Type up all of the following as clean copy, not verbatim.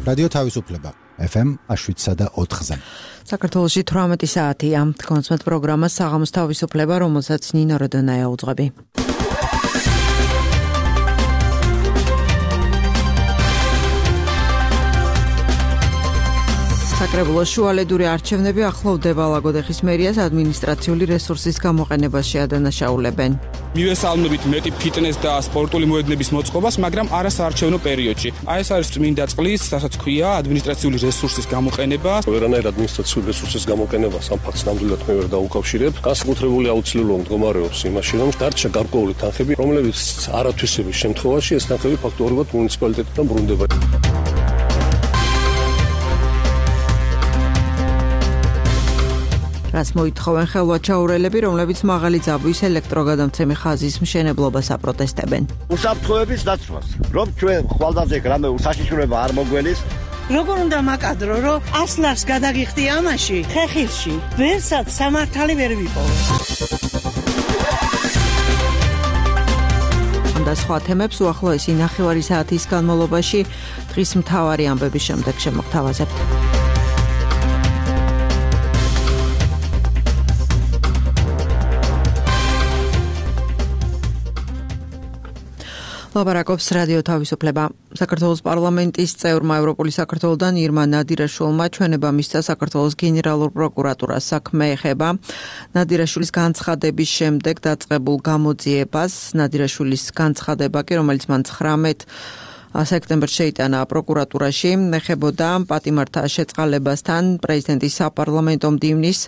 რადიო თავისუფლება FM 7.4-ზე. საქართველოში 18 საათია. კონსმეთ პროგრამა საღამოს თავისუფლება, რომელსაც ნინო როდონაია უძღვები. საკრებულოს შუალედური არჩევნები ახლოვდება. ლაგოდეხის მერიას ადმინისტრაციული რესურსის გამოყენებას შეადანაშაულებენ. მივესალმებით მეტი ფიტნეს და სპორტული მოედნების მოწყობას, მაგრამ არა საარჩევნო პერიოდში. აი ეს არის წმინდა წყლის, რასაც ქვია ადმინისტრაციული რესურსის გამოყენება. ვერანაირ ადმინისტრაციული რესურსის გამოყენებას ამ ფაქტს ნამდვილად მე ვერ დაუკავშირებ. განსაკუთრებული აუცილებლობა მდგომარეობს იმაში, რომ დარჩა გარკვეული თანხები, რომლებიც არათვისების შემთხვევაში ეს თანხები ფაქტობრივად მუნიციპალიტეტთან ბრუნდება. რას მოითხოვენ ხელვაჩაურელები, რომლებიც მაღალი ძაბვის ელექტროგადამცემი ხაზის მშენებლობას აპროტესტებენ. უსაფრთხოების დაცვას, რომ ჩვენ ხვალდაზე რამე უსაშიშროება არ მოგველის. როგორ უნდა მაკადრო, რომ ასლარს გადაგიხდი ამაში, ხეხილში, ვერსაც სამართალი ვერ ვიპოვე. და სხვა თემებს უახლოესი ნახევარი საათის განმავლობაში დღის მთავარი ამბების შემდეგ შემოგთავაზებთ. ლაპარაკობს რადიო თავისუფლება. საქართველოს პარლამენტის წევრმა ევროპული საქართველოდან ირმა ნადირაშვილმა ჩვენება მისცა საქართველოს გენერალურ პროკურატურას. საქმე ეხება ნადირაშვილის განცხადების შემდეგ დაწყებულ გამოძიებას. ნადირაშვილის განცხადება კი, რომელიც მან 19 სექტემბერს შეიტანა პროკურატურაში, ეხებოდა პატიმართა შეწყალებასთან პრეზიდენტის საპარლამენტო მდივნის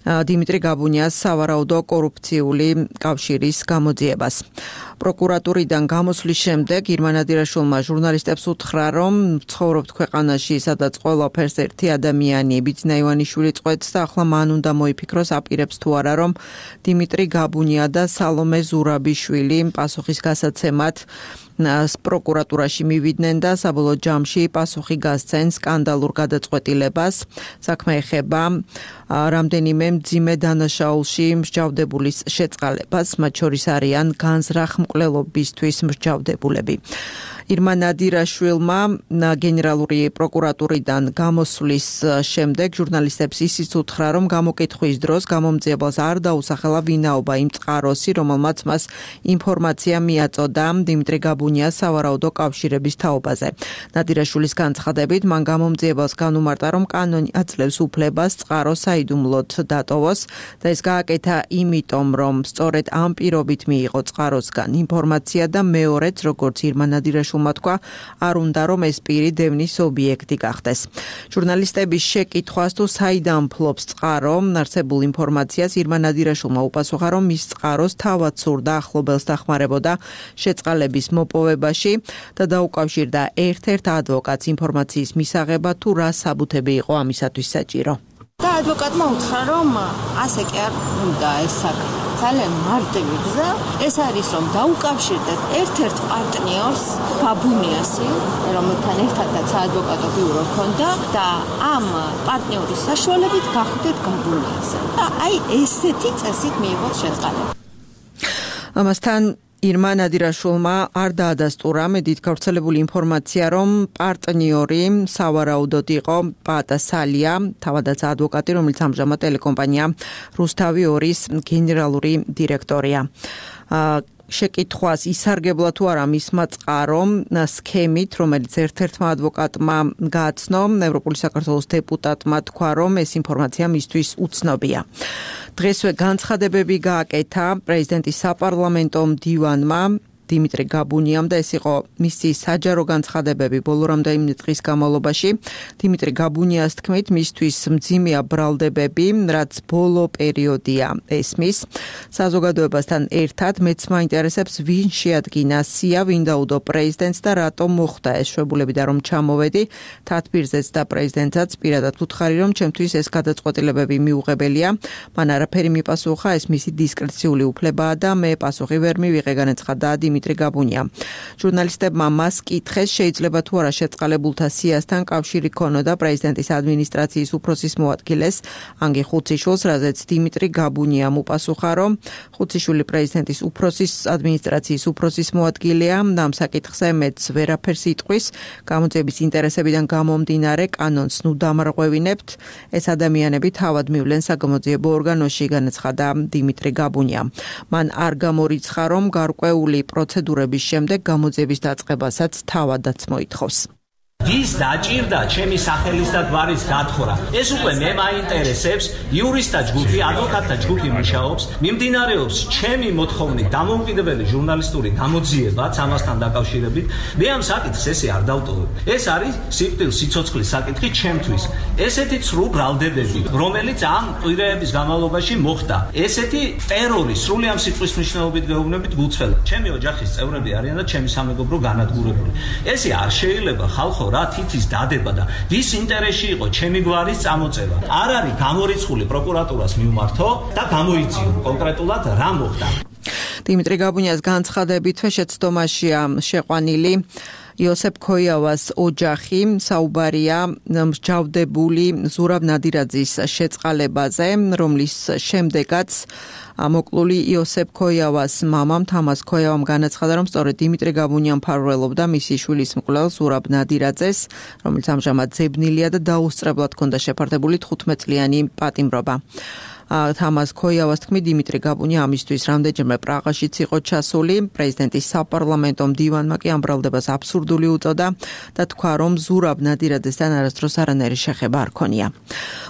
დიმიტრი გაბუნიას სავარაუდო კორუფციული კავშირის გამოძიებას. პროკურატურიდან გამოსვლის შემდეგ ირმა ნადირაშვილმა ჟურნალისტებს უთხრა, რომ ცხოვრობთ ქვეყანაში, სადაც ყველაფერს ერთი ადამიანი ბიძინა ივანიშვილი წყვეტს და ახლა მან უნდა მოიფიქროს, აპირებს თუ არა, რომ დიმიტრი გაბუნია და სალომე ზურაბიშვილი პასუხის გასაცემად პროკურატურაში მივიდნენ და საბოლოო ჯამში პასუხი გასცენ სკანდალურ გადაწყვეტილებას. საქმე ეხება რამდენიმე მძიმე დანაშაულში მსჯავრდებულის შეწყალებას, მათ შორის არიან განზრახ მკვლელობისთვის მსჯავრდებულები. ირმა ნადირაშვილმა გენერალური პროკურატურიდან გამოსვლის შემდეგ ჟურნალისტებს ისიც უთხრა, რომ გამოკითხვის დროს გამომძიებელს არ დაუსახელა ვინაობა იმ წყაროსი, რომელმაც მას ინფორმაცია მიაწოდა დიმიტრი გაბუნიას სავარაუდო კავშირების თაობაზე. ნადირაშვილის განცხადებით, მან გამომძიებელს განუმარტა, რომ კანონი აძლევს უფლებას წყარო საიდუმლოდ დატოვოს და ეს გააკეთა იმიტომ, რომ სწორედ ამ პირობით მიიღო წყაროსგან ინფორმაცია და მეორეც, როგორც ირმა ნადირაშვილმა თქვა, არ უნდა რომ ეს პირი დევნის ობიექტი გახდეს. ჟურნალისტების შეკითხვას თუ საიდან ფლობს წყარო არსებულ ინფორმაციას, ირმა ნადირაშვილმა უპასუხა, რომ მის წყაროს თავად სურდა ახლობელს დახმარებოდა შეწყალების მოპოვებაში და დაუკავშირდა ერთ-ერთ ადვოკატს ინფორმაციის მისაღებად თუ რა საბუთები იყო ამისათვის საჭირო. და ადვოკატმა უთხრა, რომ ასე კი არ უნდა ეს საქმე. ძალიან მარტივი გზა ეს არის, რომ დაუკავშირდეთ ერთ-ერთ პარტნიორს, გაბუნიასი, რომელთან ერთადაც საადვოკატო ბიურო ჰქონდა და ამ პარტნიორის საშუალებით გახვდეთ გაბუნიასზე. და აი ესეთი წესით მიიღოთ შეწყალება. ამასთან ირმა ნადირაშვილმა არ დაადასტურა მედით გავრცელებული ინფორმაცია, რომ პარტნიორი სავარაუდოდ იყო პაატა სალია, თავადაც ადვოკატი, რომელიც ამჟამად ტელეკომპანია რუსთავი 2-ის გენერალური დირექტორია. შეკითხვას ისარგებლა თუ არა მისმა წყარომ სქემით, რომელიც ერთ-ერთმა ადვოკატმა გააცნო, ევროპული საქართველოს დეპუტატმა თქვა, რომ ეს ინფორმაცია მისთვის უცნობია. დღესვე განცხადებები გააკეთა პრეზიდენტის საპარლამენტო მდივანმა დიმიტრი გაბუნიამ და ეს იყო მისი საჯარო განცხადებები ბოლო რამდენიმე დღის განმავლობაში. დიმიტრი გაბუნიას თქმით, მისთვის მძიმეა ბრალდებები, რაც ბოლო პერიოდია ესმის. საზოგადოებასთან ერთად მეც მაინტერესებს, ვინ შეადგინა სია, ვინ დაუდო პრეზიდენტს და რატომ მოხდა ეს შვებულები და რომ ჩამოვედი თათბირზეც და პრეზიდენტსაც პირადად უთხარი, რომ ჩემთვის ეს გადაწყვეტილებები მიუღებელია. მან არაფერი მიპასუხა, ეს მისი დისკრეციული უფლებაა და მე პასუხი ვერ მივიღე, განაცხადა დიმიტრი დიმიტრი გაბუნია. ჟურნალისტებმა მას კითხეს, შეიძლება თუ არა შეწყალებულთა სიასთან კავშირი ქონოდა პრეზიდენტის ადმინისტრაციის უფროსის მოადგილეს ანგი ხუციშვილს, რაზეც დიმიტრი გაბუნიამ უპასუხა, რომ ხუციშვილი პრეზიდენტის უფროსის ადმინისტრაციის უფროსის მოადგილეა და ამ საკითხზე მეც ვერაფერს იტყვის. გამოძიების ინტერესებიდან გამომდინარე კანონს ნუ დამარღვევინებთ. ეს ადამიანები თავად მივლენ საგამოძიებო ორგანოში, განაცხადა დიმიტრი გაბუნია. მან არ გამორიცხა, რომ გარკვეული პროცედურების შემდეგ გამოძიების დაწყებასაც თავადაც მოითხოვს. ვის დაჭირდა ჩემი სახელის და გვარის გათხრა? ეს უკვე მე მაინტერესებს. იურისტთა ჯგუფი, ადვოკატთა ჯგუფი მუშაობს, მიმდინარეობს ჩემი მოთხოვნით დამოუკიდებელი ჟურნალისტური გამოძიებაც ამასთან დაკავშირებით. მე ამ საკითხს ესე არ დავტოვებ. ეს არის სიკვდილ-სიცოცხლის საკითხი ჩემთვის. ესეთი ცრუ ბრალდებები, რომელიც ამ კვირაების განმავლობაში მოხდა. ესეთი ტერორი სრული ამ სიტყვის მნიშვნელობით გეუბნებით გულწრფელად. ჩემი ოჯახის წევრები არიან და ჩემი სამეგობრო განადგურებული. ესე არ შეიძლება ხალხო რა თითის დადება და ვის ინტერესში იყო ჩემი გვარის წამოწევა. არ არის გამორიცხული პროკურატურას მიმართო და გამოიძიო კონკრეტულად რა მოხდა. დიმიტრი გაბუნიას განცხადებით შეცდომაშია შეყვანილი იოსებ ქოიავას ოჯახი. საუბარია მსჯავრდებული ზურაბ ნადირაძის შეწყალებაზე, რომლის შემდეგაც მოკლული იოსებ ქოიავას მამამ თამას ქოიავამ განაცხადა, რომ სწორედ დიმიტრი გაბუნია მფარველობდა მისი შვილის მკვლელ ზურაბ ნადირაძეს, რომელიც ამჟამად ძებნილია და დაუსწრებლად ჰქონდა შეფარდებული 15 წლიანი პატიმრობა. თამას ქოიავას თქმით, დიმიტრი გაბუნია ამისთვის რამდენჯერმე პრაღაშიც იყო ჩასული. პრეზიდენტის საპარლამენტო მდივანმა კი ამ ბრალდებას აბსურდული უწოდა და თქვა, რომ ზურაბ ნადირაძესთან არასდროს არანაირი შეხება არ ქონია.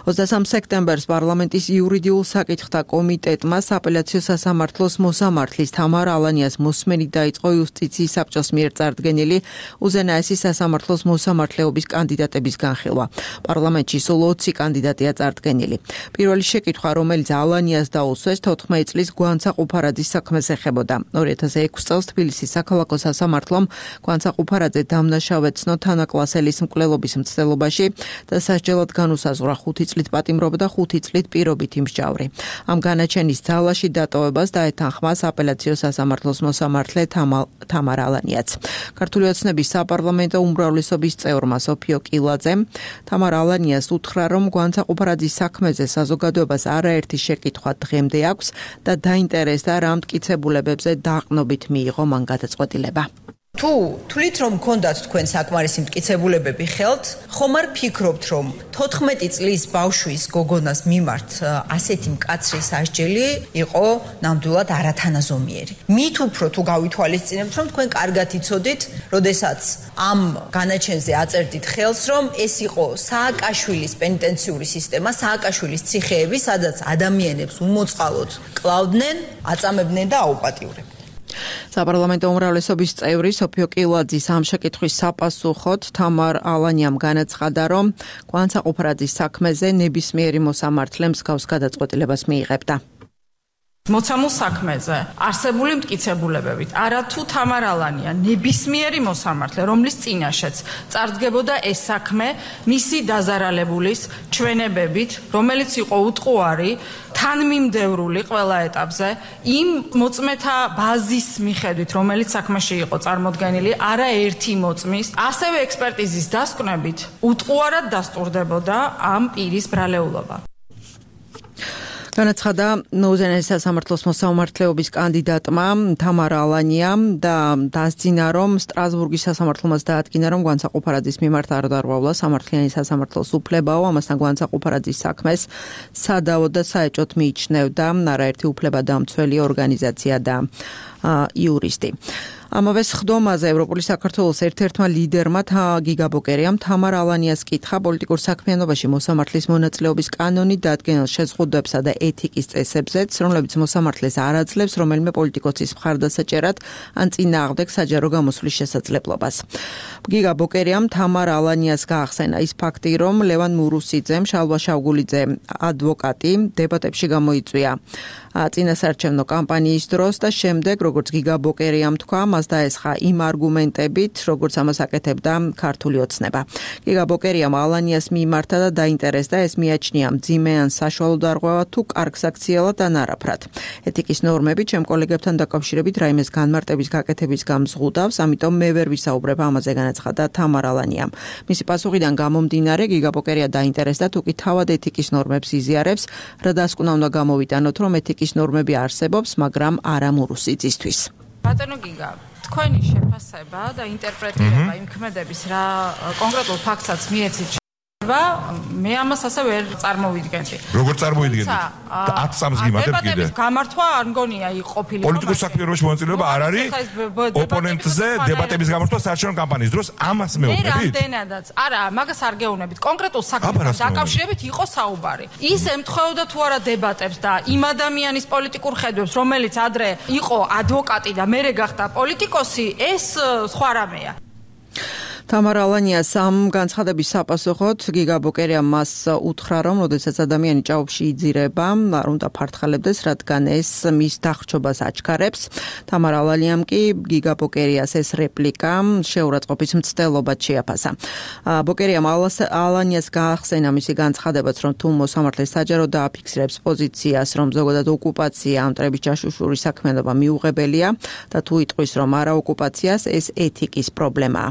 23 სექტემბერს პარლამენტის იურიდიულ საკითხთა კომიტეტმა სააპელაციო სასამართლოს მოსამართლის თამარ ალანიას მოსმენით დაიწყო იუსტიციის საბჭოს მიერ წარდგენილი უზენაესი სასამართლოს მოსამართლეობის კანდიდატების განხილვა. პარლამენტში სულ 20 კანდიდატია წარდგენილი. პირველი შეკითხვა, რომელიც ალანიას დაუსვეს 14 წლის გვანცაყუფარაძის საქმეს ეხებოდა. 2006 წელს თბილისის საქალაქო სასამართლომ გვანცაყუფარაძე დამნაშავეცნო თანაკლასელის მკვლელობის მცდელობაში და სასჯელად განუსაზღვრა 5 წლით პატიმრობა და 5 წლით პირობითი მსჯავრი. ამ განაჩენის ძალაში დატოვებას დაეთანხმა სააპელაციო სასამართლოს მოსამართლე თამარ ალანიაც. ქართული ოცნების საპარლამენტო უმრავლესობის წევრმა სოფიო კილაძემ თამარ ალანიას უთხრა, რომ გვანცაყუფარაძის საქმეზე საზოგადოებას არაერთი შეკითხვა დღემდე აქვს და დაინტერესდა რა მტკიცებულებებზე დაყნობით მიიღო მან გადაწყვეტილება. თუ თვლით, რომ გქონდათ თქვენ საკმარისი მტკიცებულებები ხელთ, ხომ არ ფიქრობთ, რომ 14 წლის ბავშვის გოგონას მიმართ ასეთი მკაცრი სასჯელი იყო ნამდვილად არათანაზომიერი. მით უფრო თუ გავითვალისწინებთ, რომ თქვენ კარგად იცოდით, როდესაც ამ განაჩენზე აწერდით ხელს, რომ ეს იყო სააკაშვილის პენიტენციური სისტემა, სააკაშვილის ციხეები, სადაც ადამიანებს უმოწყალოდ კლავდნენ, აწამებდნენ და აუპატიურებდნენ. საპარლამენტო უმრავლესობის წევრი სოფიო კილაძის ამ შეკითხვის საპასუხოდ თამარ ალანიამ განაცხადა, რომ გვანცაყუფარაძის საქმეზე ნებისმიერი მოსამართლე მსგავს გადაწყვეტილებას მიიღებდა. მოცემულ საქმეზე არსებული მტკიცებულებებით არათუ თამარ ალანია ნებისმიერი მოსამართლე, რომლის წინაშეც წარდგებოდა ეს საქმე მისი დაზარალებულის ჩვენებებით, რომელიც იყო უტყუარი, თანმიმდევრული ყველა ეტაპზე, იმ მოწმეთა ბაზის მიხედვით, რომელიც საქმეში იყო წარმოდგენილი, არაერთი მოწმის, ასევე ექსპერტიზის დასკვნებით უტყუარად დასტურდებოდა ამ პირის ბრალეულობა. განაცხადა უზენაესი სასამართლოს მოსამართლეობის კანდიდატმა თამარ ალანიამ და დასძინა, რომ სტრასბურგის სასამართლომაც დაადგინა, რომ გვანცაყუფარაძის მიმართ არ დარღვევლა სამართლიანი სასამართლოს უფლებაო, ამასთან გვანცაყუფარაძის საქმეს სადავო და საეჭვოდ მიიჩნევდა არაერთი უფლებადამცველი ორგანიზაცია და იურისტი. ამავე სხდომაზე ევროპული საქართველოს ერთ-ერთმა ლიდერმა გიგა ბოკერიამ თამარ ალანიას კითხა პოლიტიკურ საქმიანობაში მოსამართლის მონაწილეობის კანონით დადგენილ შეზღუდვებსა და ეთიკის წესებზეც, რომლებიც მოსამართლეს არ აძლევს რომელიმე პოლიტიკოსის მხარდასაჭერად ან წინააღმდეგ საჯარო გამოსვლის შესაძლებლობას. გიგა ბოკერიამ თამარ ალანიას გაახსენა ის ფაქტი, რომ ლევან მურუსიძემ, შალვა შავგულიძე ადვოკატი დებატებში გამოიწვია წინასაარჩევნო კამპანიის დროს და შემდეგ როგორც გიგა ბოკერიამ თქვა, მას დაესხა იმ არგუმენტებით, როგორც ამას აკეთებდა ქართული ოცნება. გიგა ბოკერიამ ალანიას მიიმართა და დაინტერესდა, ეს მიაჩნია მძიმე ან საშუალო დარღვევა თუ კარგ საქციელად ან არაფრად. ეთიკის ნორმები ჩემ კოლეგებთან დაკავშირებით რაიმეს განმარტების გაკეთების გამზღუდავს, ამიტომ მე ვერ ვისაუბრებ ამაზე, განაცხადა თამარ ალანიამ. მისი პასუხიდან გამომდინარე, გიგა ბოკერია დაინტერესდა თუ კი თავად ეთიკის ნორმებს იზიარებს, რა დასკვნა უნდა გამოვიტანოთ, რომ ეთიკის ნორმები არსებობს, მაგრამ არა მურუსიწისთვის. ბატონო გიგა, თქვენი შეფასება და ინტერპრეტირება იმ ქმედების რა კონკრეტულ ფაქტსაც მიეცით მე ამას ასე ვერ წარმოვიდგენდი. როგორ წარმოვიდგენდი? 10 წამს გიმართებთ კიდე. დებატების გამართვა არ მგონია ყოფილი. პოლიტიკურ საქმიანობაში მონაწილეობა არ არის. ოპონენტზე დებატების გამართვა საარჩევნო კამპანიის დროს ამას მეუბნებით? რამდენადაც. არა, მაგას არ გეუბნებით. კონკრეტულ საქმეთან დაკავშირებით იყო საუბარი. ის ემთხვეოდა თუ არა დებატებს და იმ ადამიანის პოლიტიკურ ხედვებს, რომელიც ადრე იყო ადვოკატი და მერე გახდა პოლიტიკოსი, ეს სხვა რამეა. თამარ ალანიას ამ განცხადების საპასუხოდ გიგა ბოკერიამ მას უთხრა, რომ როდესაც ადამიანი ჭაობში იძირება, არ უნდა ფართხალებდეს, რადგან ეს მის დახრჩობას აჩქარებს. თამარ ალანიამ კი გიგა ბოკერიას ეს რეპლიკა შეურაცხყოფის მცდელობად შეაფასა. ბოკერიამ ალანიას გაახსენა მისი განცხადებაც, რომ თუ მოსამართლე საჯაროდ დააფიქსირებს პოზიციას, რომ ზოგადად ოკუპაცია ამ მტრების ჯაშუშური საქმიანობა მიუღებელია და თუ იტყვის, რომ არა ოკუპაციას, ეს ეთიკის პრობლემაა.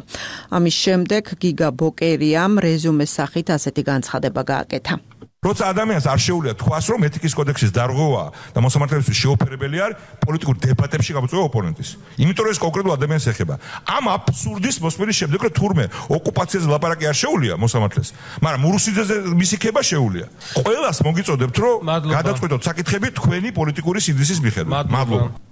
ამის შემდეგ გიგა ბოკერიამ რეზუმეს სახით ასეთი განცხადება გააკეთა. როცა ადამიანს არ შეუძლია თქვას, რომ ეთიკის კოდექსის დარღვევა და მოსამართლეებისთვის შეუფერებელი არის პოლიტიკურ დებატებში გამოწვევა ოპონენტის. იმიტომ რომ ეს კონკრეტულ ადამიანს ეხება. ამ აბსურდის მოსმენის შემდეგ, რომ თურმე ოკუპაციაზე ლაპარაკი არ შეუძლია მოსამართლეს, მაგრამ მურუსიძეზე მისი ქება შეუძლია. ყველას მოგიწოდებთ, რომ გადაწყვეტოთ საკითხები თქვენი პოლიტიკური სინდისის მიხედვით. მადლობა.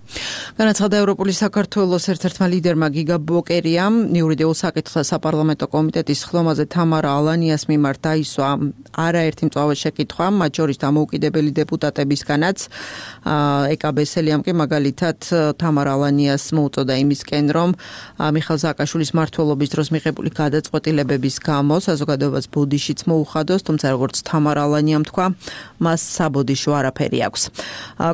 განაცხადა ევროპული საქართველოს ერთ-ერთმა ლიდერმა გიგა ბოკერიამ იურიდიულ საკითხთა საპარლამენტო კომიტეტის ხდომაზე თამარ ალანიას მიმართ დაისვა არაერთი მწვავე შეკითხვა, მათ შორის დამოუკიდებელი დეპუტატებისგანაც. ეკა ბესელიამ კი მაგალითად თამარ ალანიას მოუწოდა იმისკენ, რომ მიხეილ სააკაშვილის მმართველობის დროს მიღებული გადაწყვეტილებების გამო საზოგადოებას ბოდიშიც მოუხადოს, თუმცა როგორც თამარ ალანიამ თქვა, მას საბოდიშო არაფერი აქვს.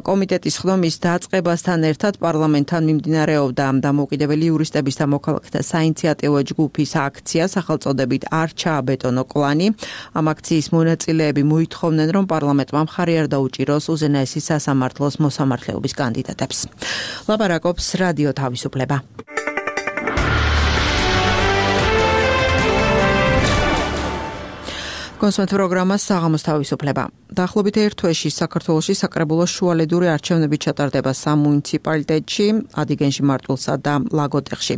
კომიტეტის ხდომის დაწყებასთან ერთად პარლამენტთან მიმდინარეობდა დამოუკიდებელი იურისტების და მოქალაქეთა საინიციატივო ჯგუფის აქცია სახელწოდებით არ ჩააბეტონო კლანი. ამ აქციის მონაწილეები მოითხოვნენ, რომ პარლამენტმა მხარი არ დაუჭიროს უზენაესი სასამართლოს მოსამართლეობის კანდიდატებს. ლაპარაკობს რადიო თავისუფლება. კონსულტ პროგრამა საღამოს თავისუფლება. დაახლოებით ერთ თვეში საქართველოში საკრებულოს შუალედური არჩევნები ჩატარდება სამ მუნიციპალიტეტში, ადიგენში, მარტვილსა და ლაგოდეხში.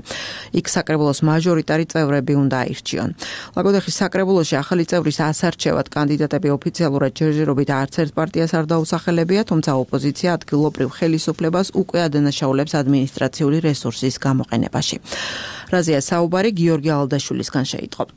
იქ საკრებულოს მაჟორიტარი წევრები უნდა აირჩიონ. ლაგოდეხის საკრებულოში ახალი წევრის ასარჩევად კანდიდატები ოფიციალურად ჯერჯერობით არც ერთ პარტიას არ დაუსახელებია, თუმცა ოპოზიცია ადგილობრივ ხელისუფლებას უკვე ადანაშაულებს ადმინისტრაციული რესურსის გამოყენებაში. რაზეა საუბარი გიორგი ალდაშვილისგან შეიტყობთ.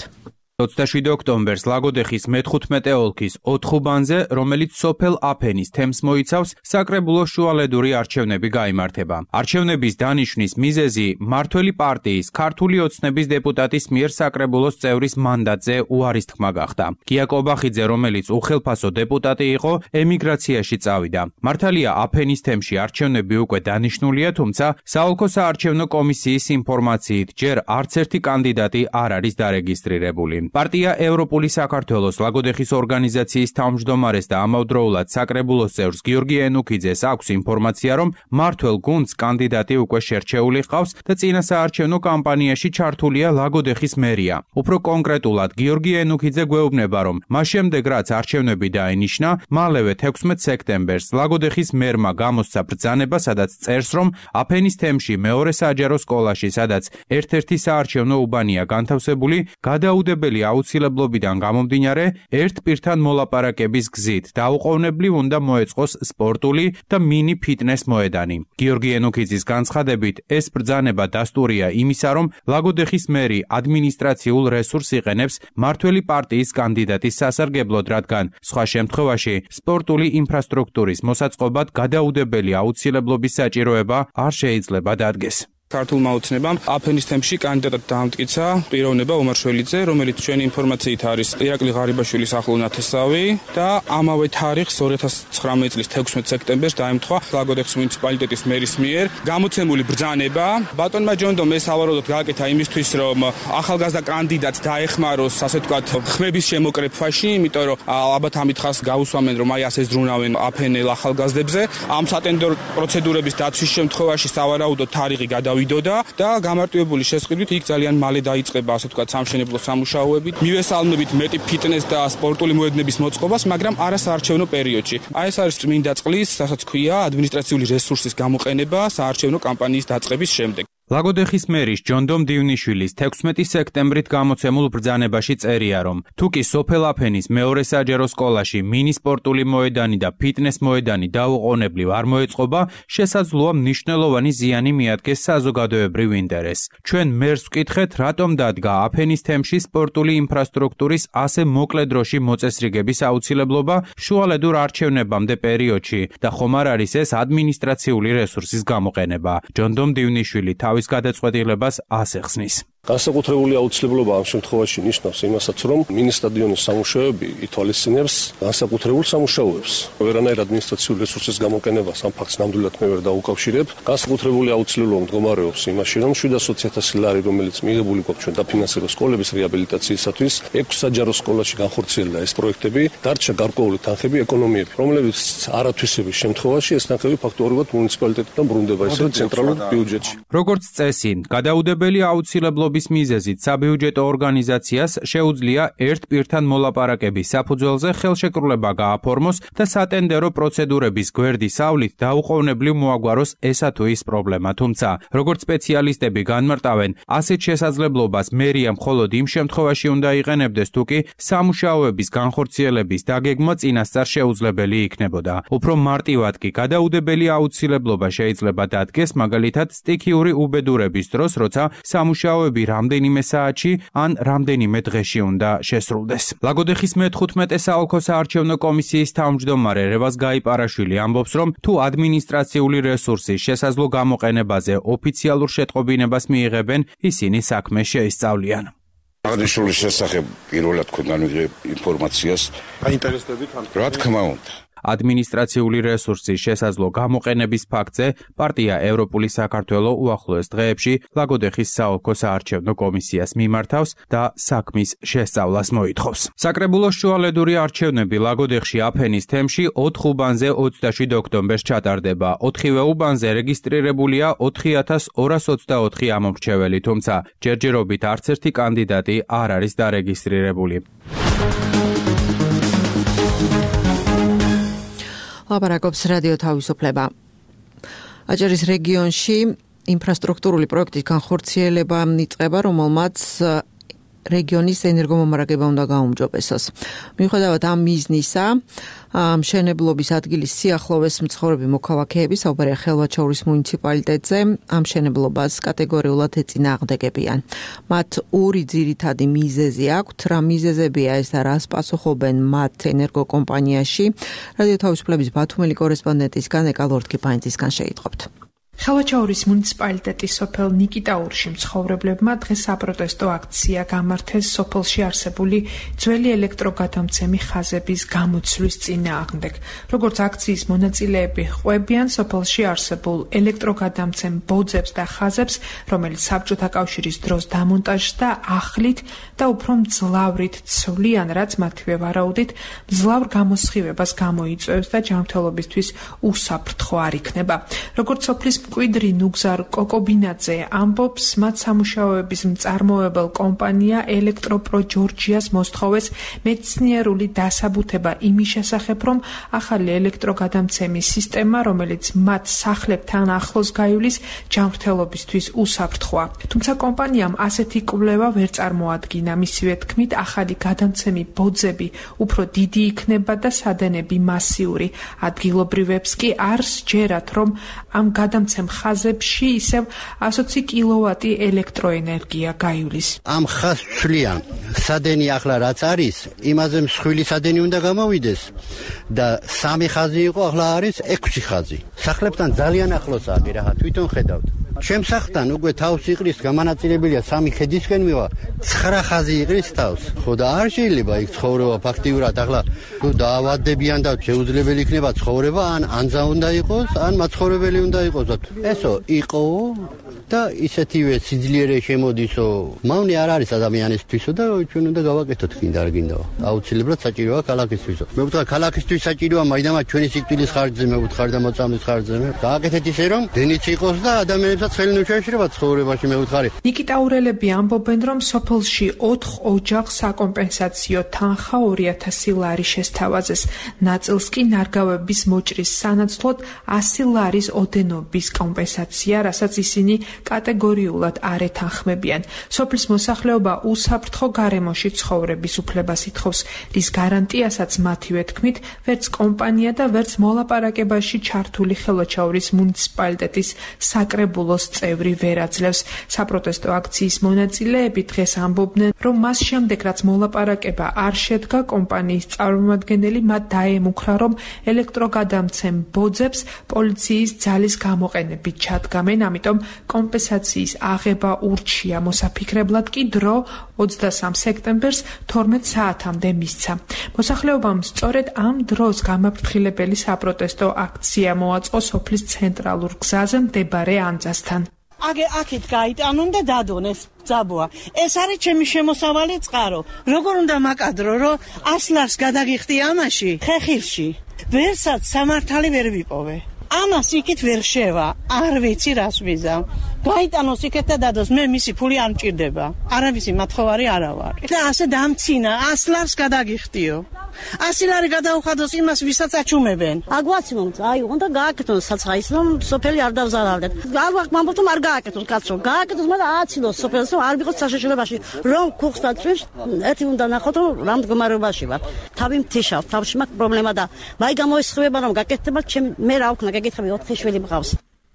27 ოქტომბერს ლაგოდეხის მე-15 ოლქის 4 უბანზე, რომელიც სოფელ აფენის თემს მოიცავს, საკრებულოს შუალედური არჩევნები გაიმართება. არჩევნების დანიშვნის მიზეზი მმართველი პარტიის ქართული ოცნების დეპუტატის მიერ საკრებულოს წევრის მანდატზე უარის თქმა გახდა. გია კობახიძე, რომელიც უხელფასო დეპუტატი იყო, ემიგრაციაში წავიდა. მართალია აფენის თემში არჩევნები უკვე დანიშნულია, თუმცა საოლქო საარჩევნო კომისიის ინფორმაციით ჯერ არც ერთი კანდიდატი არ არის დარეგისტრირებული. პარტია ევროპული საქართველოს ლაგოდეხის ორგანიზაციის თავმჯდომარეს და ამავდროულად საკრებულოს წევრს გიორგი ენუქიძეს აქვს ინფორმაცია, რომ მმართველ გუნდს კანდიდატი უკვე შერჩეული ჰყავს და წინა საარჩევნო კამპანიაში ჩართულია ლაგოდეხის მერია. უფრო კონკრეტულად გიორგი ენუქიძე გვეუბნება, რომ მას შემდეგ რაც არჩევნები დაინიშნა, მალევე 16 სექტემბერს ლაგოდეხის მერმა გამოსცა ბრძანება, სადაც წერს, რომ აფენის თემში მეორე საჯარო სკოლაში, სადაც ერთ-ერთი საარჩევნო უბანია განთავსებული, გადაუდებელი აუცილებლობიდან გამომდინარე ერთ პირთან მოლაპარაკების გზით დაუყოვნებლივ უნდა მოეწყოს სპორტული და მინი ფიტნეს მოედანი. გიორგი ენუქიძის განცხადებით, ეს ბრძანება დასტურია იმისა, რომ ლაგოდეხის მერი ადმინისტრაციულ რესურსს იყენებს მმართველი პარტიის კანდიდატის სასარგებლოდ, რადგან სხვა შემთხვევაში სპორტული ინფრასტრუქტურის მოსაწყობად გადაუდებელი აუცილებლობის საჭიროება არ შეიძლება დადგეს. ქართულმა ოცნებამ აფენის თემში კანდიდატად დაამტკიცა პიროვნება ომარ შველიძე, რომელიც ჩვენი ინფორმაციით არის ირაკლი ღარიბაშვილის ახლო ნათესავი და ამავე თარიღს 2019 წლის 16 სექტემბერს დაემთხვა ლაგოდეხის მუნიციპალიტეტის მერის მიერ გამოცემული ბრძანება. ბატონმა ჯონდომ ეს ავაროდოთ გააკეთა იმისთვის, რომ ახალგაზრდა კანდიდატს დაეხმაროს, ასე ვთქვათ, ხმების შემოკრეფვაში, იმიტომ რომ ალბათ ამით ხას გაუსვამენ, რომ აი ასე ზრუნავენ აფენელ ახალგაზრდებზე. ამ სატენდერო პროცედურების დაცვის შემთხვევაში სავარაუდო თარიღი გადავიდოდა და გამარტივებული შესყიდვით იქ ძალიან მალე დაიწყება, ასე ვთქვათ, სამშენებლო სამუშაოები. მივესალმებით მეტი ფიტნეს და სპორტული მოედნების მოწყობას, მაგრამ არა საარჩევნო პერიოდში. აი ეს არის წმინდა წყლის, რასაც ქვია, ადმინისტრაციული რესურსის გამოყენება საარჩევნო კამპანიის დაწყების შემდეგ. ლაგოდეხის მერის ჯონდომ დივნიშვილის 16 სექტემბრით გამოცემულ ბრძანებაში წერია, რომ თუ კი სოფელ აფენის მეორე საჯარო სკოლაში მინი სპორტული მოედანი და ფიტნეს მოედანი დაუყოვნებლივ არ მოეწყობა, შესაძლოა მნიშვნელოვანი ზიანი მიადგეს საზოგადოებრივ ინტერესს. ჩვენ მერს ვკითხეთ, რატომ დადგა აფენის თემში სპორტული ინფრასტრუქტურის ასე მოკლე დროში მოწესრიგების აუცილებლობა შუალედურ არჩევნებამდე პერიოდში და ხომ არ არის ეს ადმინისტრაციული რესურსის გამოყენება. ჯონდომ დივნიშვილი თავის გადაწყვეტილებას ასახსნის. განსაკუთრებული აუცილებლობა ამ შემთხვევაში ნიშნავს იმასაც, რომ მინი სტადიონის სამუშაოები ითვალისწინებს განსაკუთრებულ სამუშაოებს. ვერანაირ ადმინისტრაციული რესურსის გამოყენებას ამ ფაქტს ნამდვილად მე ვერ დაუკავშირებ. განსაკუთრებული აუცილებლობა მდგომარეობს იმაში, რომ 700.000 ლარი, რომელიც მიღებული გვაქვს ჩვენ დაფინანსება სკოლების რეაბილიტაციისათვის, 6 საჯარო სკოლაში განხორციელდა ეს პროექტები, დარჩა გარკვეული თანხები ეკონომიები, რომლებიც არათვისების შემთხვევაში ეს თანხები ფაქტობრივად მუნიციპალიტეტიდან ბრუნდება ისე ცენტრალურ ბიუჯეტში. როგორც წესი, გადაუდებელი აუცილებლობა მიზეზით საბიუჯეტო ორგანიზაციას შეუძლია ერთ პირთან მოლაპარაკების საფუძველზე ხელშეკრულება გააფორმოს და სატენდერო პროცედურების გვერდის ავლით დაუყოვნებლივ მოაგვაროს ესა თუ ის პრობლემა. თუმცა, როგორც სპეციალისტები განმარტავენ, ასეთ შესაძლებლობას მერია მხოლოდ იმ შემთხვევაში უნდა იყენებდეს, თუ კი სამუშაოების განხორციელების დაგეგმა წინასწარ შეუძლებელი იქნებოდა. უფრო მარტივად კი გადაუდებელი აუცილებლობა შეიძლება დადგეს, მაგალითად, სტიქიური უბედურების დროს, როცა სამუშაოები რამდენიმე საათში ან რამდენიმე დღეში უნდა შესრულდეს. ლაგოდეხის მე-15 საოლქო საარჩევნო კომისიის თავმჯდომარე რევაზ გაიპარაშვილი ამბობს, რომ თუ ადმინისტრაციული რესურსის შესაძლო გამოყენებაზე ოფიციალურ შეტყობინებას მიიღებენ, ისინი საქმე შეისწავლიან. აღნიშნული შესახებ პირველად ქონდა ინფორმაციას. აინტერესდებით ამ? რა თქმა უნდა. ადმინისტრაციული რესურსის შესაძლო გამოყენების ფაქტზე პარტია ევროპული საქართველო უახლოეს დღეებში ლაგოდეხის საოლქო საარჩევნო კომისიას მიმართავს და საქმის შესწავლას მოითხოვს. საკრებულოს შუალედური არჩევნები ლაგოდეხში აფენის თემში 4 უბანზე 27 ოქტომბერს ჩატარდება. 4-ვე უბანზე რეგისტრირებულია 4224 ამომრჩეველი, თუმცა ჯერჯერობით არც ერთი კანდიდატი არ არის დარეგისტრირებული. ლაპარაკობს რადიო თავისუფლება. აჭარის რეგიონში ინფრასტრუქტურული პროექტის განხორციელება იწყება, რომელმაც რეგიონის ენერგომომარაგება უნდა გაუმჯობესოს. მიუხედავად ამ მიზნისა, მშენებლობის ადგილის სიახლოვეს მცხოვრები მოქალაქეები საუბარია ხელვაჩაურის მუნიციპალიტეტზე ამ მშენებლობას კატეგორიულად ეწინააღმდეგებიან. მათ ორი ძირითადი მიზეზი აქვთ, რა მიზეზებია ეს და რას პასუხობენ მათ ენერგოკომპანიაში. რადიო თავისუფლების ბათუმელი კორესპონდენტისგან ეკალორთკიფაინცისგან შეიტყობთ. ხელვაჩაურის მუნიციპალიტეტის სოფელ ნიკიტაურში მცხოვრებლებმა დღეს საპროტესტო აქცია გამართეს სოფელში არსებული ძველი ელექტროგადამცემი ხაზების გამოცვლის წინააღმდეგ. როგორც აქციის მონაწილეები ყვებიან, სოფელში არსებულ ელექტროგადამცემ ბოძებს და ხაზებს, რომელიც საბჭოთა კავშირის დროს დამონტაჟდა, ახლით და უფრო მძლავრით ცვლიან, რაც მათივე ვარაუდით მძლავრ გამოსხივებას გამოიწვევს და ჯანმრთელობისთვის უსაფრთხო არ იქნება. როგორც სოფლის მკვიდრი ნუგზარ კოკობინაძე ამბობს, მათ სამუშაოების მწარმოებელ კომპანია ელექტროპრო ჯორჯიას მოსთხოვეს მეცნიერული დასაბუთება იმის შესახებ, რომ ახალი ელექტროგადამცემის სისტემა, რომელიც მათ სახლებთან ახლოს გაივლის, ჯანმრთელობისთვის უსაფრთხოა. თუმცა კომპანიამ ასეთი კვლევა ვერ წარმოადგინა. მისივე თქმით, ახალი გადამცემი ბოძები უფრო დიდი იქნება და სადენები მასიური. ადგილობრივებს კი არ სჯერათ, რომ ამ გადამცემ ხაზებში ისევ 120 კილოვატი ელექტროენერგია გაივლის. ამ ხაზს ცვლიან სადენი ახლა რაც არის, იმაზე მსხვილი სადენი უნდა გამოვიდეს და 3 ხაზი იყო, ახლა არის 6 ხაზი. სახლებთან ძალიან ახლოსაა, რათა თვითონ ხედავთ. ჩემს სახლთან უკვე თავს იყრის გამანაწილებულია 3 ხედისკენ მივა 9 ხაზი იყრის თავს. ხო და არ შეიძლება იქ ცხოვრება ფაქტიურად ახლა თუ დაავადებიან და შეუძლებელი იქნება ცხოვრება ან ანძა უნდა იყოს ან მაცხოვრებელი უნდა იყოს. ესო იყო და ისეთივე სიძლიერე შემოდისო. მავნე არ არის ადამიანისთვისო და ჩვენ უნდა გავაკეთოთ კიდე არ გინდა. აუცილებლად საჭიროა ქალაქისთვისო. მე ვთქვა ქალაქისთვის საჭიროა მაინც ჩვენი სიკვდილის ხარჯზე მე ვთქარ და მოწამვლის ხარჯზე. გააკეთეთ ისე რომ დენიც იყოს და ადამიანებსაც ხელი ნუშეშრება ცხოვრებაში მე ვთქარი. ნიკიტა ურელები ამბობენ რომ სოფელში 4 ოჯახს საკომპენსაციო თანხა 2000 ლარი შესთავაზეს. ნაწილს კი ნარგავების მოჭრის სანაცვლოდ 100 ლარის ოდენობის კომპენსაცია, რასაც ისინი კატეგორიულად არ ეთანხმებიან. სოფლის მოსახლეობა უსაფრთხო გარემოში ცხოვრების უფლებას ითხოვს, რის გარანტიასაც მათივე თქმით ვერც კომპანია და ვერც მოლაპარაკებაში ჩართული ხელვაჩაურის მუნიციპალიტეტის საკრებულოს წევრი ვერ აძლევს. საპროტესტო აქციის მონაწილეები დღეს ამბობდნენ, რომ მას შემდეგ რაც მოლაპარაკება არ შედგა, კომპანიის წარმომადგენელი მათ დაემუქრა, რომ ელექტროგადამცემ ბოძებს პოლიციის ძალის გამოყენებით ჩადგამენ, ამიტომ კომპენსაციის აღება ურჩია. მოსაფიქრებლად კი დრო 23 სექტემბერს 12 საათამდე მისცა. მოსახლეობამ სწორედ ამ დროს გამაფრთხილებელი საპროტესტო აქცია მოაწყო სოფლის ცენტრალურ გზაზე მდებარე ანძასთან. აქეთ გაიტანონ და დადონ ეს ძაბოა. ეს არის ჩემი შემოსავალი წყარო. როგორ უნდა მაკადრო, რომ 100 ლარს გადაგიხდი ამაში, ხეხილში. ვერსაც სამართალი ვერ ვიპოვე. ამას იქით ვერ შევა. არ ვიცი რას ვიზამ. გაიტანოს იქეთ და დადოს. მე მისი ფული არ მჭირდება. არავისი მათხოვარი არა ვარ. და ასე დამცინა 100 ლარს გადაგიხდიო. 100 ლარი გადაუხადოს იმას, ვისაც აჩუმებენ. აგვაცმოთ, უნდა გააკეთონ საცხაის, რომ სოფელი არ დავზარავდეთ. მამბობთ, რომ არ გააკეთონ, კაცო. გააკეთოს, მაგრამ ააცილოს სოფელს, რომ არ ვიყოთ საშიშროებაში. რომ ქუხს დაწვევს, ერთი უნდა ნახოთ, რომ რა მდგომარეობაში ვარ. თავი მთიშავ, თავში მაქვს პრობლემა და მაი გამოისხება, რომ გაკეთდება, მე რა ვქნა, გეკითხები 4 შვილი მყავს.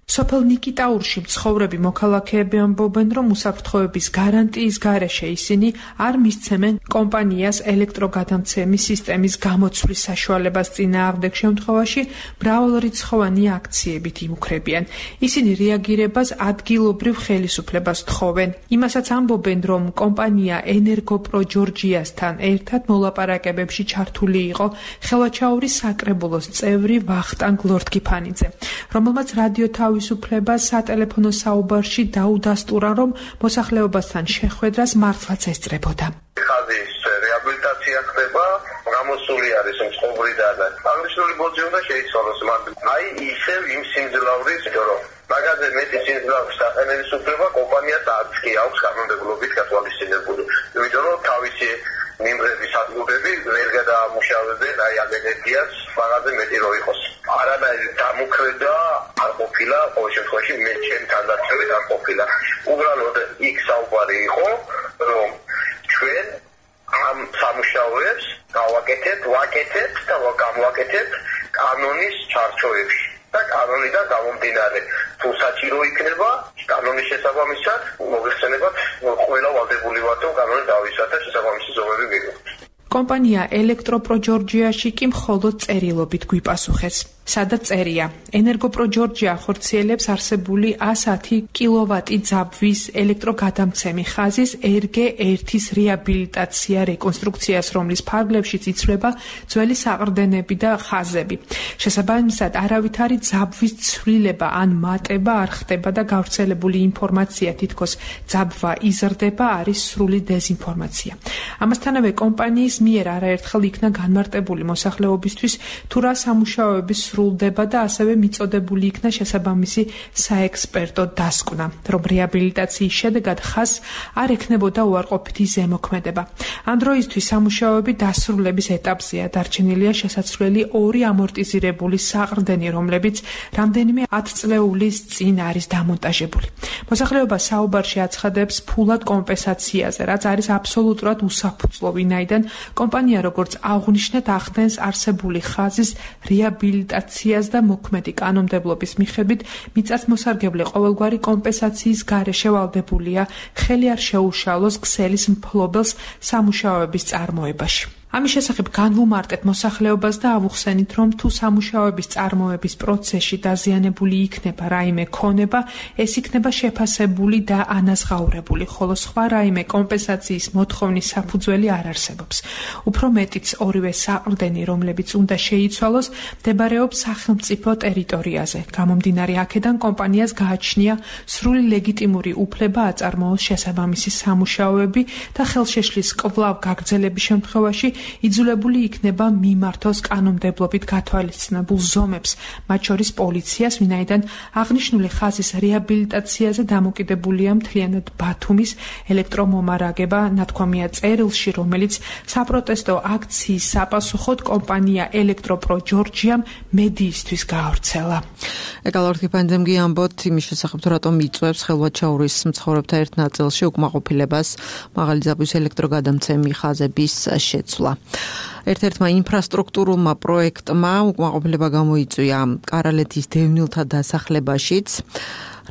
სოფელ ნიკიტაურში მცხოვრები მოქალაქეები ამბობენ, რომ უსაფრთხოების გარანტიის გარეშე ისინი არ მისცემენ კომპანიას ელექტროგადამცემის სისტემის გამოცვლის საშუალებას. წინააღმდეგ შემთხვევაში მრავალრიცხოვანი აქციებით იმუქრებიან. ისინი რეაგირებას ადგილობრივ ხელისუფლებას თხოვენ. იმასაც ამბობენ, რომ კომპანია ენერგოპრო ჯორჯიასთან ერთად მოლაპარაკებებში ჩართული იყო ხელვაჩაურის საკრებულოს წევრი ვახტანგ ლორთქიფანიძე, რომელმაც რადიო თავისუფლებას სატელეფონო საუბარში დაუდასტურა, რომ მოსახლეობასთან შეხვედრას მართლაც ესწრებოდა. ხაზის რეაბილიტაცია ხდება, გამოსული არის მწყობრიდან. აღნიშნული ბოძი უნდა შეიცვალოს მათ. ისევ იმ სიმძლავრის, რომ მაგაზე მეტი სიმძლავრის საყენების უფლება კომპანიას არც კი აქვს კანონმდებლობით გათვალისწინებული. იმიტომ რომ თავისი მიმღების ადგილები ვერ გადაამუშავებენ ენერგიას მაგაზე მეტი რო იყოს. არანაირი დამუქრედა არ ყოფილა, ყოველ შემთხვევაში მე ჩემთან დაცვით არ ყოფილა. უბრალოდ იქ საუბარი იყო, რომ ჩვენ ამ სამუშაოებს ვაკეთებთ და გამოვაკეთებთ კანონის ჩარჩოებში და კანონიდან გამომდინარე. თუ საჭირო იქნება კანონის შესაბამისად მოიხსენებათ ყველა ვალდებული ვართ, რომ კანონი დავისვათ და შესაბამისი ზომები მივიღოთ. კომპანია ელექტროპრო ჯორჯიაში კი მხოლოდ წერილობით გვიპასუხეს. სადაც წერია: ენერგოპრო ჯორჯია ხორციელებს არსებული 110 კილოვატი ძაბვის ელექტროგადამცემი ხაზის RG1-ის რეაბილიტაცია რეკონსტრუქციას, რომლის ფარგლებშიც იცვლება ძველი საყრდენები და ხაზები. შესაბამისად, არავითარი ძაბვის ცვლილება ან მატება არ ხდება და გავრცელებული ინფორმაცია თითქოს ძაბვა იზრდება არის სრული დეზინფორმაცია. ამასთანავე კომპანიის მიერ არაერთხელ იქნა განმარტებული მოსახლეობისთვის თუ რა სამუშაოების სრულდება და ასევე მიწოდებული იქნა შესაბამისი საექსპერტო დასკვნა, რომ რეაბილიტაციის შედეგად ხაზს არ ექნებოდა უარყოფითი ზემოქმედება. ამ დროისთვის სამუშაოები დასრულების ეტაპზეა, დარჩენილია შესაძლებელი 2 ამორტიზირებული საყრდენი, რომლებიც რამდენიმე 10 წლეულის წინ არის დამონტაჟებული. მოსახლეობა საუბარში აცხადებს ფულად კომპენსაციაზე, რაც არის აბსოლუტურად უსაფუძვლო, ვინაიდან კომპანია როგორც აღნიშნეთ ახდენს არსებული ხაზის რეაბილიტაციას და მოქმედი კანონმდებლობის მიხედვით მიწათმოსარგებლე ყოველგვარი კომპენსაციის გარეშე ვალდებულია ხელი არ შეუშალოს ქსელის მფლობელს სამუშაოების წარმოებაში. ამის შესახებ განვუმარტეთ მოსახლეობას და ავუხსენით, რომ თუ სამუშაოების წარმოების პროცესში დაზიანებული იქნება რაიმე ქონება, ეს იქნება შეფასებული და ანაზღაურებული, ხოლო სხვა რაიმე კომპენსაციის მოთხოვნის საფუძველი არ არსებობს. უფრო მეტიც ორივე საყრდენი, რომლებიც უნდა შეიცვალოს, მდებარეობს სახელმწიფო ტერიტორიაზე. გამომდინარე აქედან კომპანიას გააჩნია სრული ლეგიტიმური უფლება აწარმოოს შესაბამისი სამუშაოები და ხელშეშლის კვლავ გაგრძელების შემთხვევაში იძულებული იქნება მიმართოს კანონმდებლობით გათვალისწინებულ ზომებს, მათ შორის პოლიციას, ვინაიდან აღნიშნული ხაზის რეაბილიტაციაზე დამოკიდებულია მთლიანად ბათუმის ელექტრომომარაგება, ნათქვამია წერილში, რომელიც საპროტესტო აქციის საპასუხოდ კომპანია ელექტროპრო ჯორჯიამ მედიისთვის გაავრცელა. ეკალორთიფანძემ გიამბოთ იმის შესახებ, თუ რატომ იწვევს ხელვაჩაურის მცხოვრებთა ერთ ნაწილში უკმაყოფილებას მაღალი ძაბვის ელექტროგადამცემი ხაზების შეცვლა. ერთ-ერთმა ინფრასტრუქტურულმა პროექტმა უკმაყოფილება გამოიწვია კარალეთის დევნილთა დასახლებაშიც.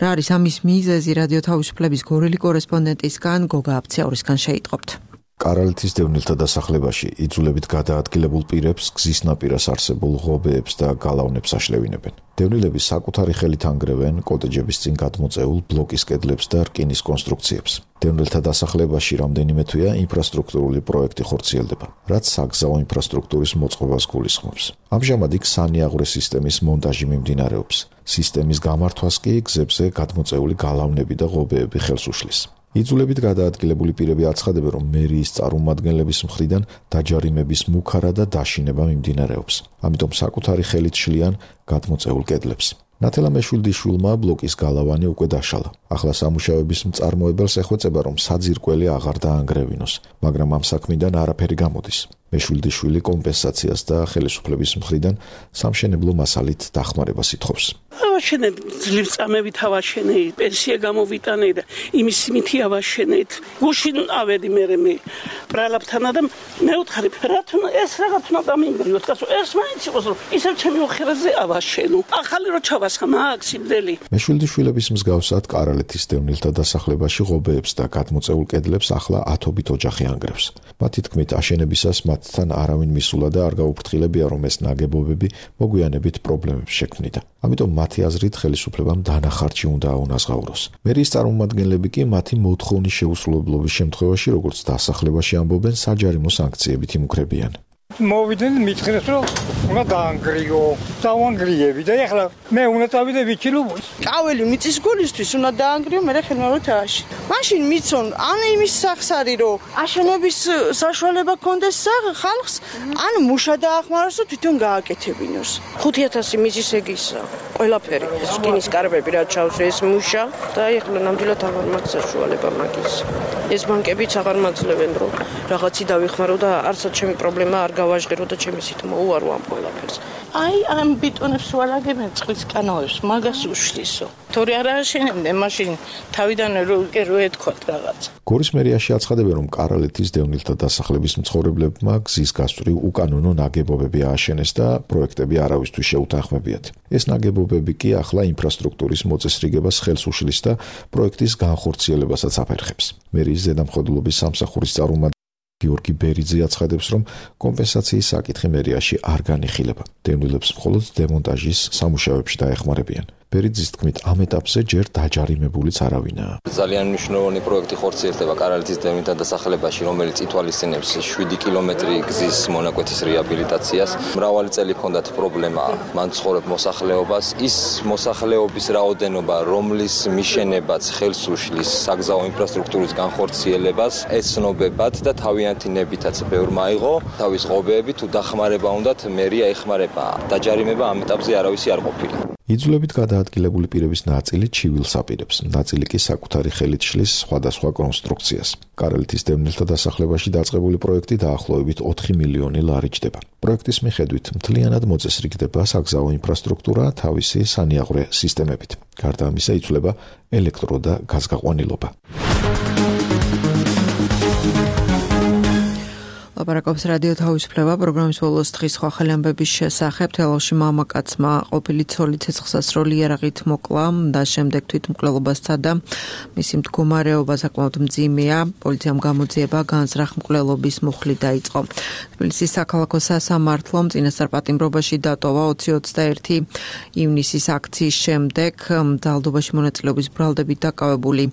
რა არის ამის მიზეზი? რადიო თავისუფლების გორელი კორესპონდენტისგან გოგა აფციაურისგან შეიტყობთ. კარალეთის დევნილთა დასახლებაში იძულებით გადაადგილებულ პირებს გზის ნაპირას არსებულ ღობეებს და გალავნებს აშლევინებენ. დევნილები საკუთარი ხელით ანგრევენ კოტეჯების წინ გადმოწეულ ბლოკის კედლებს და რკინის კონსტრუქციებს. დევნილთა დასახლებაში რამდენიმე თვეა ინფრასტრუქტურული პროექტი ხორციელდება, რაც საგზაო ინფრასტრუქტურის მოწყობას გულისხმობს. ამჟამად იქ სანიაღვრე სისტემის მონტაჟი მიმდინარეობს. სისტემის გამართვას კი გზებზე გადმოწეული გალავნები და ღობეები ხელს უშლის. იძულებით გადაადგილებული პირები აცხადებენ, რომ მერიის წარმომადგენლების მხრიდან დაჯარიმების მუქარა და დაშინება მიმდინარეობს. ამიტომ საკუთარი ხელით შლიან გადმოწეულ კედლებს. ნათელა მეშვილდიშვილმა ბლოკის გალავანი უკვე დაშალა. ახლა სამუშაოების მწარმოებელს ეხვეწება, რომ საძირკველი აღარ დაანგრევინოს, მაგრამ ამ საქმიდან არაფერი გამოდის. მეშვილდიშვილი კომპენსაციას და ხელისუფლების მხრიდან სამშენებლო მასალით დახმარებას ითხოვს. ავაშენეთ ძლივ წამებით ავაშენეთ, პენსია გამოვიტანე და იმის მითი ავაშენეთ. გუშინ ავედი მე ბრალაბთანა და მეუთხარი რატომ ეს რაღაც უნდა დამინგრიოთ, კაცო, ეს მაინც იყოს რომ ისევ ჩემი ოხერაზე ავაშენო. ახალი რო ჩავასხა მაგ სიმდელი. მეშვილდიშვილების მსგავსად კარალეთის დევნილთა დასახლებაში ღობეებს და გადმოწეულ კედლებს ახლა ათობით ოჯახი ანგრევს. მათი თქმით, აშენებისას მათთან არავინ მისულა და არ გაუფრთხილებია, რომ ეს ნაგებობები მოგვიანებით პრობლემებს შექმნიდა. ამიტომ მათი აზრით ხელისუფლებამ დანახარჯი უნდა აუნაზღაუროს. მერიის წარმომადგენლები კი მათი მოთხოვნის შეუსრულებლობის შემთხვევაში, როგორც დასახლებაში ამბობენ, საჯარიმო სანქციებით იმუქრებიან. მოვიდნენ მითხრეს რომ უნდა დაანგრიო, დავანგრიები და ეხლა მე უნდა წავიდე ვიჩილო. კაველი მიწის გულისთვის უნდა დაანგრიო, მე ხელმეორთაში. მაშინ მიცონ ან იმის სახს არის რომ აშენების საშუალება კონდეს ხალხს, ან მუშა დაახმაროს და თვითონ გააკეთებინოს. 5000 მიზის ეგისა. ყველაფერი, რკინის კარებები რა ჩავს ეს მუშა და ეხლა ნამდვილად აღარ მაქვს საშუალება მაგის. ეს ბანკებიც აღარ მაძლევენ რომ რაღაცი დავიხმარო და არცად ჩემი პრობლემა არ გავაჟღერო და ჩემი სით მოუარო ამ ყველაფერს. აი ამ ბიტონებს ვალაგებენ წყლის კანალებს, მაგას უშლისო. თორე არ აშენებდნენ მაშინ თავიდანვე რო ეთქვათ რაღაც. გორის მერიაში აცხადებენ, რომ კარალეთის დევნილთა დასახლების მცხოვრებლებმა გზის გასწვრივ უკანონო ნაგებობები ააშენეს და პროექტები არავისთვის შეუთანხმებიათ. ეს ნაგებობები კი ახლა ინფრასტრუქტურის მოწესრიგებას ხელს უშლის და პროექტის განხორციელებასაც აფერხებს. მერიის ზედამხედველობის სამსახურის წარმომადგენელი გიორგი ბერიძე აცხადებს, რომ კომპენსაციის საკითხი მერიაში არ განიხილება. დევნილებს მხოლოდ დემონტაჟის სამუშაოებში დაეხმარებიან. ბერიძის თქმით, ამ ეტაპზე ჯერ დაჯარიმებულიც არავინაა. ძალიან მნიშვნელოვანი პროექტი ხორციელდება კარალეთის დევნილთა დასახლებაში, რომელიც ითვალისწინებს 7 კილომეტრი გზის მონაკვეთის რეაბილიტაციას. მრავალი წელი ჰქონდათ პრობლემა მან ცხოვრებ მოსახლეობას. ის მოსახლეობის რაოდენობა, რომლის მიშენებაც ხელს უშლის საგზაო ინფრასტრუქტურის განხორციელებას, ეცნობებათ და თავიანთი ნებითაც ბევრმა აიღო. თავის ღობეები თუ დახმარება უნდათ, მერია ეხმარება. დაჯარიმება ამ ეტაპზე არავისი არ ყოფილა. იძულებით გადაადგილებული პირების ნაწილი ჩივილს აპირებს, ნაწილი კი საკუთარი ხელით შლის სხვადასხვა კონსტრუქციას. კარალეთის დევნილთა დასახლებაში დაწყებული პროექტი დაახლოებით 4 მილიონი ლარი ჯდება. პროექტის მიხედვით მთლიანად მოწესრიგდება საგზაო ინფრასტრუქტურა თავისი სანიაღვრე სისტემებით. გარდა ამისა იცვლება ელექტრო და გაზგაყვანილობა. ლაპარაკობს რადიო თავისუფლება პროგრამის ბოლოს დღის სხვა ახალი ამბების შესახებ. თელავში მამაკაცმა ყოფილი ცოლი ცეცხლსასროლი იარაღით მოკლა და შემდეგ თვითმკვლელობა სცადა. მისი მდგომარეობა საკმაოდ მძიმეა. პოლიციამ გამოძიება განზრახ მკვლელობის მუხლი დაიწყო. თბილისის საქალაქო სასამართლომ წინასწარ პატიმრობაში დატოვა 20-21 ივნისის აქციის შემდეგ ძალადობაში მონაწილეობის ბრალდებით დაკავებული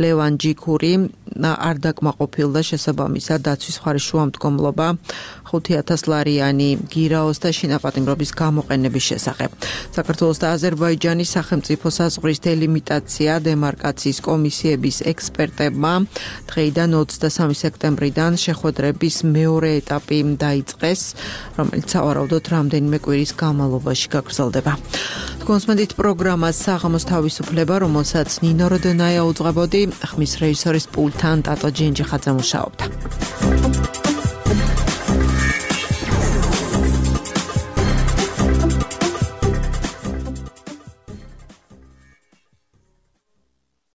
ლევან ჯიქური არ დაკმაყოფილდა შესაბამისად დაცვის მხარის შუამდგომლობა 5,000 ლარიანი გირაოს და შინაპატიმრობის გამოყენების შესახებ. საქართველოს და აზერბაიჯანის სახელმწიფო საზღვრის დელიმიტაცია დემარკაციის კომისიების ექსპერტებმა დღეიდან 23 სექტემბრიდან შეხვედრების მეორე ეტაპი დაიწყეს, რომელიც სავარაუდოდ რამდენიმე კვირის განმავლობაში გაგრძელდება. კონსმენდით პროგრამას საღამოს თავისუფლება, რომელსაც ნინო როდენაია უძღვებოდი, ხმის რეჟისორის პულტთან ტატო ჯენჯიხაძე მუშაობდა.